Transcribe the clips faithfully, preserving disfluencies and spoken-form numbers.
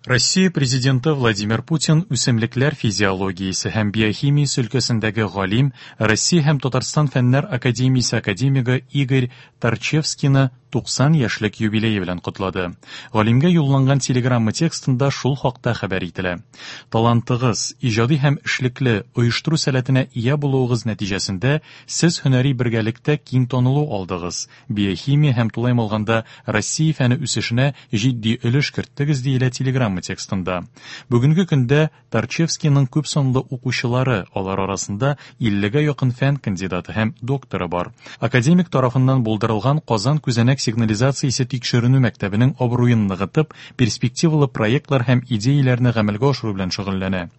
Россия Президенты Владимир Путин үсемлекләр физиологиясе һәм биохимиясе өлкәсендәге галим, Россия һәм Татарстан Фәннәр академиясе академигы Игорь Торчевскийны туксан яшьлек юбилее белән котлады. Галимгә юлланган телеграмма текстында шул хакта хәбәр ителә. Талантыгыз, иҗади һәм эшлекле оештыру сәләтенә ия булуыгыз нәтиҗәсендә сез һөнәри бергәлектә киң танылу алдыгыз. Биохимия һәм тулаем алганда Россия фәне үсешенә җитди өлеш керттегез, диелә телеграмма текстында. Бүгенге көндә Торчевскийның күп санлы укучылары, алар арасында иллегә якын фән кандидаты һәм докторы бар. Академик тарафыннан булдырылган Казан күзәнәк сигнализациясе тикшеренү мәктәбенең абруен ныгытып, перспективалы проектлар һәм идеяләрне гамәлгә ашыру белән шөгыльләнә.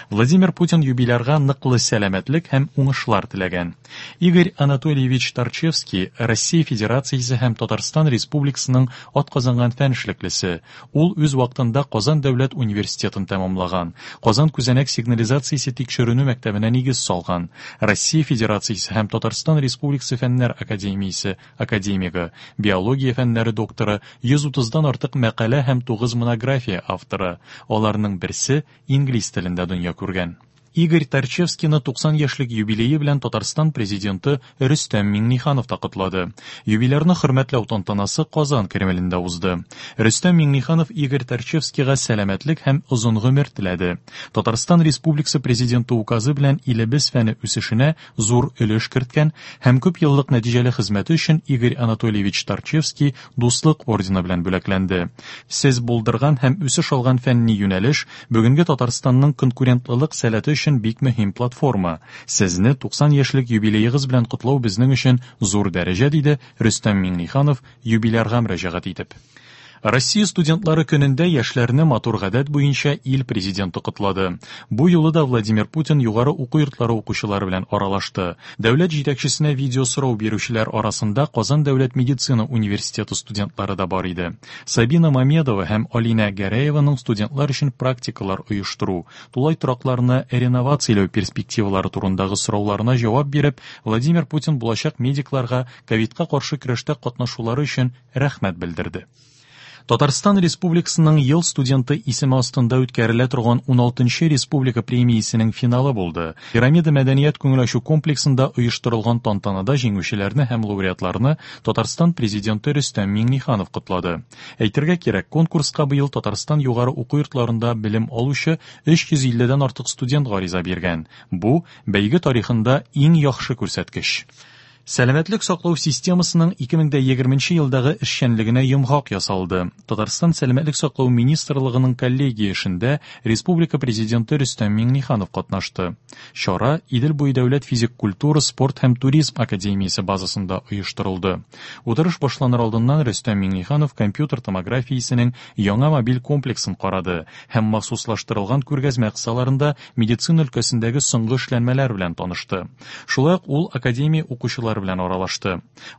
Владимир Путин юбилярга ныклы сәламәтлек һәм уңышлар теләгән. Игорь Анатольевич Торчевский Россия Федерациясе һәм Татарстан Республикасының атказанган фән эшлеклесе. Ул үз вакытында Казан дәүләт университетын тәмамлаган. Казан күзәнәк сигнализациясе тикшеренү мәктәбенә нигез салган. Россия Федерациясе һәм Татарстан Республикасы Фәннәр академиясе академигы, биология фәннәре докторы, йөз утыздан артык мәкалә һәм тугыз монография авторы. Аларның берсе инглиз телендә дөнья күргән. Игорь Торчевскийны туксан яшьлек юбилее белән Татарстан президенты Рөстәм Миңнеханов та котлады. Юбилярны хөрмәтләү тантанасы Казан Кремлендә узды. Рөстәм Миңнеханов Игорь Торчевскийга сәламәтлек һәм озын гомер теләде. Татарстан Республикасы президенты указы белән илебез фәне үсешенә зур өлеш керткән һәм күп еллык нәтиҗәле хезмәте өчен Игорь Анатольевич Торчевский Дуслык ордены белән бүләкләнде. Сез булдырган һәм үсеш алган фәнни юнәлеш бүгенге Татарстанның конкурентлылык сәләте өчен бик мөһим платформа. Сезне туксан яшьлек юбилеегыз белән котлау безнең өчен зур дәрәҗә, диде Рөстәм Миңнеханов юбилярга мөрәҗәгать итеп. Россия студентлары көнендә яшьләрне матур гадәт буенча ил президенты котлады. Бу юлы да Владимир Путин югары уку йортлары укучылары белән аралашты. Дәүләт җитәкчесенә видео сорау бирүчеләр арасында Казан дәүләт медицина университеты студентлары да бар иде. Сабина Мамедова һәм Алина Гәрәеваның студентлар өчен практикалар оештыру, тулай торакларны реновацияләү перспективалары турындагы сорауларына җавап биреп, Владимир Путин булачак медикларга ковидка каршы көрәштә катнашулары өчен рәхмәт белдерде. Татарстан Республикасының ел студенты исеме астында үткәрелә торган уналтынчы республика премиясенең финалы булды. Пирамида мәдәният күңел ачу комплексында оештырылган тантанада җиңүчеләрне һәм лауреатларны Татарстан президенты Рөстәм Миңнеханов котлады. Әйтергә кирәк, конкурска быел Татарстан югары уку йортларында белем алучы өч йөз илледән артык студент гариза биргән. Бу бәйге тарихында иң яхшы күрсәткеч. Сәламәтлек саклау системасының ике мең дә егерменче елдагы эшчәнлегенә йомгак ясалды. Татарстан Сәламәтлек саклау министрлыгының коллегия эшендә Республика президенты Рөстәм Миңнеханов катнашты. Чара Идел буе дәүләт физик культура, спорт һәм туризм академиясе базасында оештырылды. Утырыш башланыр алдыннан Рөстәм Миңнеханов компьютер томографиясенең яңа мобиль комплексын карады һәм махсуслаштырылган күргәзмә кысаларында медицина өлкәсендәге соңгы эшләнмәләр белән танышты. Шулай ук ул академия укучылары белән аралашты.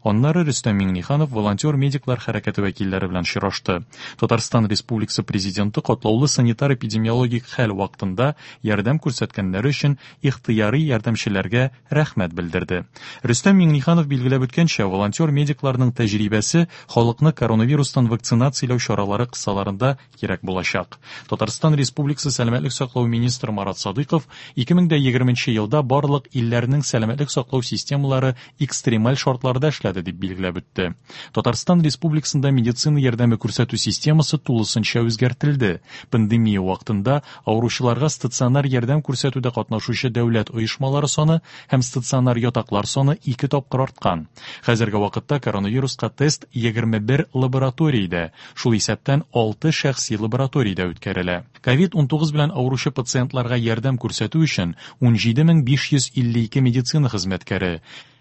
Аннары Рөстәм Миңнеханов волонтер-медиклар хәрәкәте вәкилләре белән очрашты. Татарстан Республикасы президенты катлаулы санитар-эпидемиологик хәл вакытында ярдәм күрсәткәннәре өчен ихтыяри ярдәмчеләргә рәхмәт белдерде. Рөстәм Миңнеханов билгеләп үткәнчә, волонтер-медикларның тәҗрибәсе халыкны коронавирустан вакцинацияләү чаралары кысаларында кирәк булачак. Татарстан Республикасы Сәламәтлек саклау министры Марат Садыйков ике мең дә егерменче елда барлык илләрнең сәламәтлек саклау системалары экстремаль шартларда эшләде дип билгеләп үтте. Татарстан Республикасында медицина ярдәме күрсәтү системасы тулысынча үзгәртелде. Пандемия вакытында авыручыларга стационар ярдәм күрсәтүдә катнашучы дәүләт оешмалары саны һәм стационар ятаклар саны ике тапкыр арткан. Хәзерге вакытта коронавируска тест егерме бер лабораториядә, шул исәптән алты шәхси лабораториядә үткәрелә. Ковид унтугыз белән авыручы пациентларга ярдәм күрсәтү өчен ун җиде мең биш йөз илле ике медицина хезмәткәре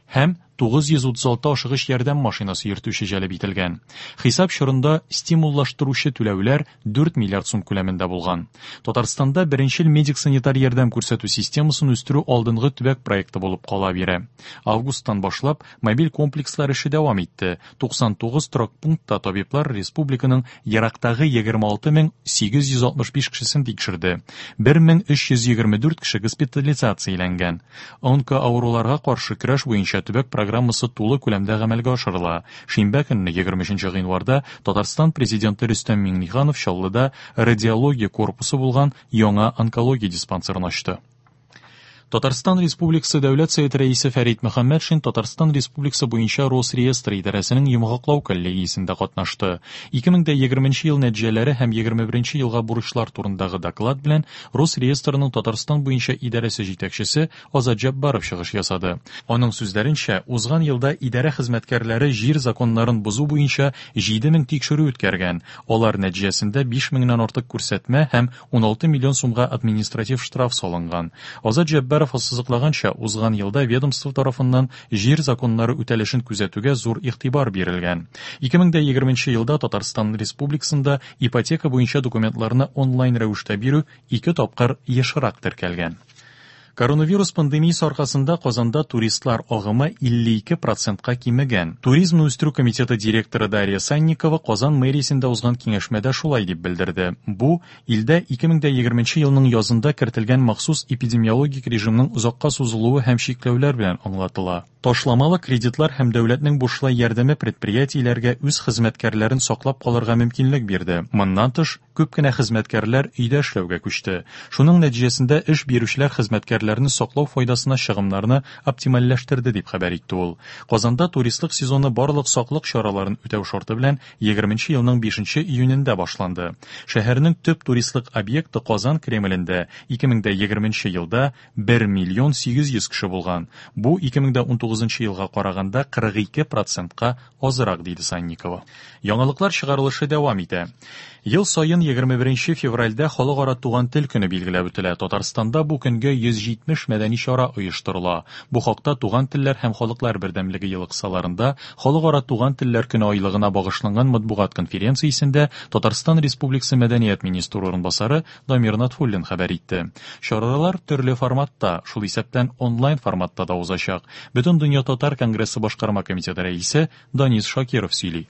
һәм тугыз йөз утыз алты ашыгыч ярдәм машинасы йөртүче җәлеп ителгән. Хисап чорында стимуллаштыручы түләүләр дүрт миллиард сум күләмендә булган. Татарстанда беренчел медик-санитар ярдәм күрсәтү системасын үстерү алдынгы төбәк проекты булып кала бирә. Августтан башлап мобиль комплекслар эше дәвам итте. Туксан тугыз торак пунктта табиблар республиканың ерактагы егерме алты мең сигез йөз алтмыш биш кешесен тикшерде. Бер мең өч йөз егерме дүрт кеше госпитализацияләнгән. Онкоавыруларга каршы көрәш буенча төбәк программасы программасы тулы күләмдә гамәлгә ашырыла. Шимбә көнне, егерме өченче гыйнварда, Татарстан президенты Рөстәм Миңнеханов Чаллыда радиология корпусы булган яңа онкология диспансерын ачты. Татарстан Республикасы Дәүләт Советы рәисе Фәрит Мөхәммәтшин Татарстан Республикасы буенча Росреестр идарәсенең йомгаклау коллегиясендә катнашты. ике мең егерменче ел нәтиҗәләре һәм егерме беренче елга бурычлар турындагы доклад белән Росреестрның Татарстан буенча идарәсе җитәкчесе Азат Җаббаров чыгыш ясады. Аның сүзләренчә, узган елда идарә хезмәткәрләре җир законнарын бозу буенча җиде мең тикшерү үткәргән. Алар нәтиҗәсендә биш меңнән артык күрсәтмә һәм уналты миллион сумга административ штраф салынган. Азат Җаббаров ассызыклаганча, узган елда ведомство тарафыннан җир законнары үтәлешен күзәтүгә зур игътибар бирелгән. ике мең егерменче елда Татарстан Республикасында ипотека буенча документларны онлайн рәвештә бирү ике тапкыр ешрак теркәлгән. Коронавирус пандемиясе аркасында Казанда туристлар агымы илле ике процентка кимегән. Туризмны үстерү комитеты директоры Дарья Санникова Казан мэриясендә узган киңәшмәдә шулай дип белдерде. Бу илдә ике мең егерменче елның язында кертелгән махсус эпидемиологик режимның озакка сузылуы һәм чикләүләр белән аңлатыла. Ташламалы кредитлар һәм дәүләтнең бушлай ярдәме предприятиеләргә үз хезмәткәрләрен саклап калырга мөмкинлек бирде. Моннан тыш, күп кенә хезмәткәрләр өйдә эшләүгә күчте. Шуның нәтиҗәсендә эш бирүчеләр хезмәткәрләрне саклау файдасына чыгымнарны оптимальләштерде, дип хәбәр итте ул. Казанда туристлык сезоны барлык саклык чараларын үтәү шарты белән егерменче елның бишенче июнендә башланды. Шәһәрнең төп туристлык объекты Казан Кремлендә ике мең егерменче елда бер миллион сигез йөз кеше булган. Бу ике мең унтугызынчы елга караганда кырык ике процентка азрак, диде Санникова. Яңалыклар чыгарылышы дәвам итә. Ел саен егерме беренче февральдә Халыкара туган тел көне билгеләп үтелә. Татарстанда бу көнгә йөз җитмеш мәдәни чара оештырыла. Бу хакта Туган телләр һәм халыклар бердәмлеге елы кысаларында Халыкара туган телләр көне айлыгына багышланган матбугат конференциясендә Татарстан Республикасы мәдәният министры урынбасары Дамир Натфуллин хәбәр итте. Чаралар төрле форматта, шул исәптән онлайн форматта да узачак. Бөтендөнья татар конгрессы башкарма комитеты рәисе Данис Шакиров сөйли.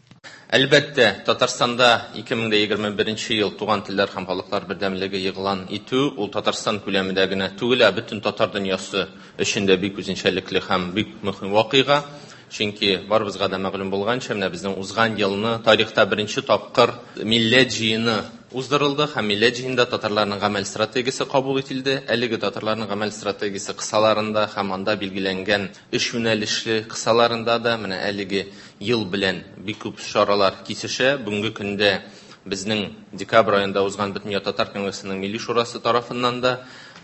Әлбәттә, Татарстанда ике мең егерме беренче ел туган телләр һәм халыклар бердәмлеге игълан итү ул Татарстан күләмендә генә түгел, ә бөтен татар дөньясы өчен дә бик үзенчәлекле һәм бик мөһим вакыйга. Чөнки барыбызга да мәгълүм булганча, менә безнең узган елны тарихта беренче тапкыр милләт җыены уздырылды һәм милләт җыенында татарларның гамәл стратегиясе кабул ителде. Әлеге татарларның гамәл стратегиясе кысаларында һәм анда билгеләнгән эш юнәлешле кысаларында да менә әлеге ел белән бик күп чаралар кисешә. Бүгенге көндә безнең декабрь аенда узган Бөтендөнья татар конгрессының Милли шурасы тарафыннан да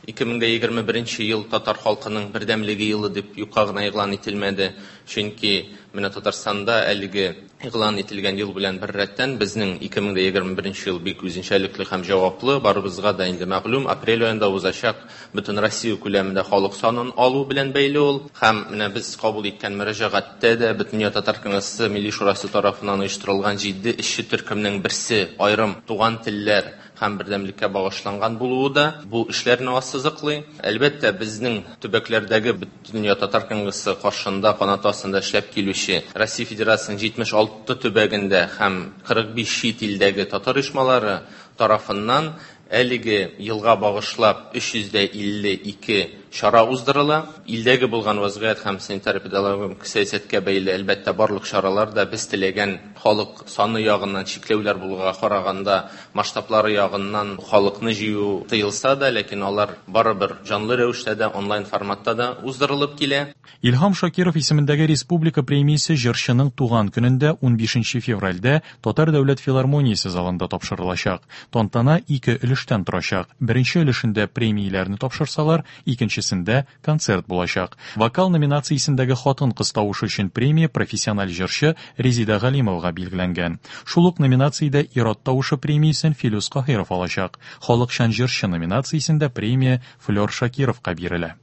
ике мең егерме беренче ел татар халкының бердәмлеге елы дип юкка гына игълан ителмәде. Чөнки менә Татарстанда әлеге игълан ителгән ел белән бер рәттән безнең ике мең егерме беренче ел бик үзенчәлекле һәм җаваплы, барыбызга да инде мәгълүм, апрель аенда узачак бөтен Россия күләмендә халык санын алу белән бәйле ул. Һәм менә без кабул иткән мөрәҗәгатьтә дә Бөтендөнья татар конгрессы Милли шурасы тарафыннан оештырылган җитди эшче төркемнең берсе аерым туган телләр һәм бердәмлеккә багышланган булуы да бу эшләрне ассызыклый. Әлбәттә, безнең төбәкләрдәге Бөтендөнья татар конгрессы каршында канаты астында эшләп килүче Россия Федерациясының җитмеш алты төбәгендә һәм кырык биш чит илдәге татар оешмалары тарафыннан әлеге елга багышлап өч йөз дә илле ике чара уздырыла. Илдәге булган вазгыять һәм санитар-эпидемиологик сәясәткә бәйле әлбәттә барлык чаралар да без теләгән халык саны ягыннан чикләүләр булуга караганда масштаблары ягыннан халыкны җыю тыелса да, ләкин алар барыбер җанлы рәвештә дә, онлайн форматта да уздырылып килә. Илһам Шакиров исемендәге республика премиясе җырчының туган көнендә унбишенче февральдә Татар дәүләт филармониясе залында тапшырылачак. Тантана ике өлештән торачак. Беренче өлешендә премияләрне тапшырсалар, икенчесендә концерт булачак. Вокал номинациясендәге хатын-кыз тавышы өчен премия профессиональ җырчы Резида Галимовага билгеләнгән. Шул ук номинациядә ир-ат тавышы премиясен Филүс Каһиров алачак. Халыкчан җырчы номинациясендә премия Флёр Шакировка бирелә.